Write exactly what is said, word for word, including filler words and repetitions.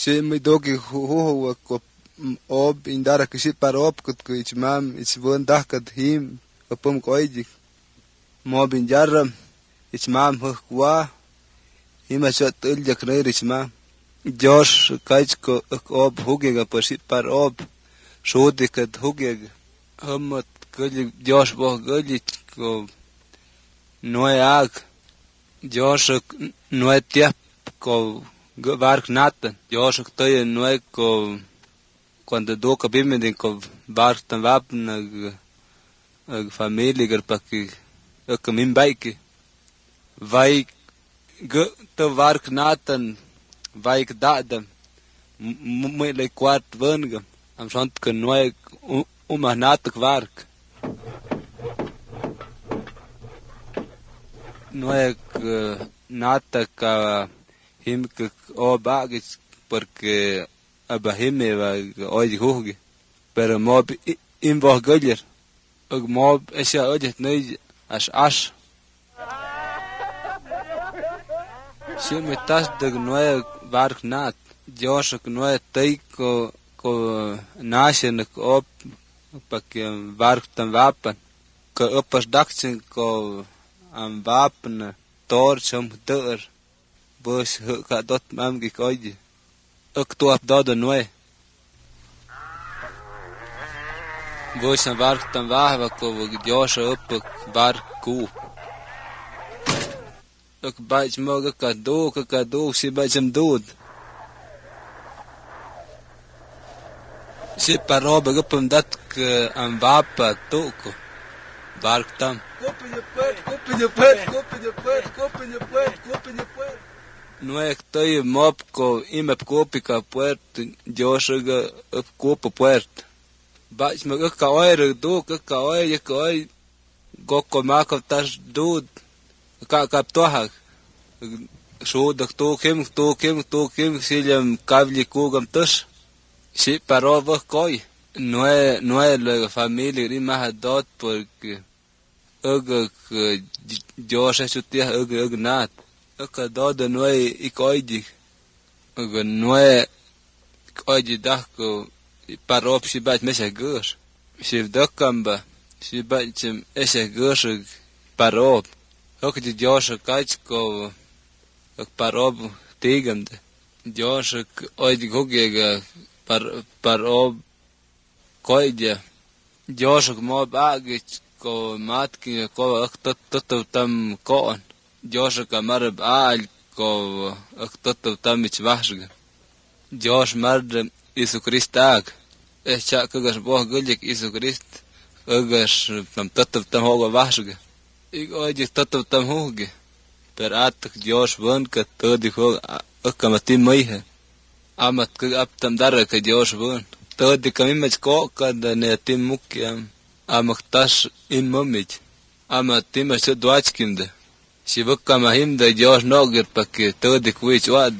Si mi dogi huhu ko ob indara kisi par ob kut ko ich mam ich won dahkat him apum ko iji mo bin jarram ich mam hu kwa hima shot ul jakner ich mam Josh kaich ko ob hugega pasi par ob shodi kat hugega hamot gulli Josh bo gulli ko noe ag Josh noe tiap ko vark natan Josh toy noe ko cuando do ka bimmen ko vark tan vapn ag family gar pakki ak min baike vai go to vark natan vaik dadam muy le quart vengam am schont ke noe um natak vark noe natak him ke obagis porque abahime va hoy hoge pero mob in vor göljer og mob es ja odet nei as as si me tas de noe vark nat Josh noe tai ko ko nashen ko op pak vark tan vapen ko opas daksen ko am vapen tor som deur bus ka dot mam gi koje ok to ap dod noe bus am vark tan vahva ko Josh op vark ku ok baj moga ka do ka do si bajam dud si paroba gupum dat am vapa toko vark tam Open your pet, open your pet, open your pet, open your pet, open your pet. No estoy mob ko imep kopi ka puerta Josh ga up kopa puerta baj moga ka oir do ka ka oir ka oir go ko makav tas dud ka kap tohak sho dak to kem to kem to kem silam kavli kugam tas si parova koi no é no é la familia ri ma dot porque ug Josh chutia ug ug nat ug dod no é ikoidi ug no é ikoidi dako parop si bat mesa gus si dokamba si bat ese gus parop ug di Josh kaich ko ug parop tigand Josh oidi gogega par parop koidja Josh mo bagich ko matki ko aktot tot tam kon Josh ka marb al ko aktot tam ich vashga Josh mard Isu Kristag eh cha kagas bo gulik Isu Krist kagas tam tot tam hoga vashga ik oje tot tam hoge per at Josh von ka todi ho akamati maihe amat ka ap tam dar ka Josh von todi kamimach ko kad ne tim mukyam amaktas in momich amatim se dwachkinde si bukka mahim da Josh noger pakke todi kwich wad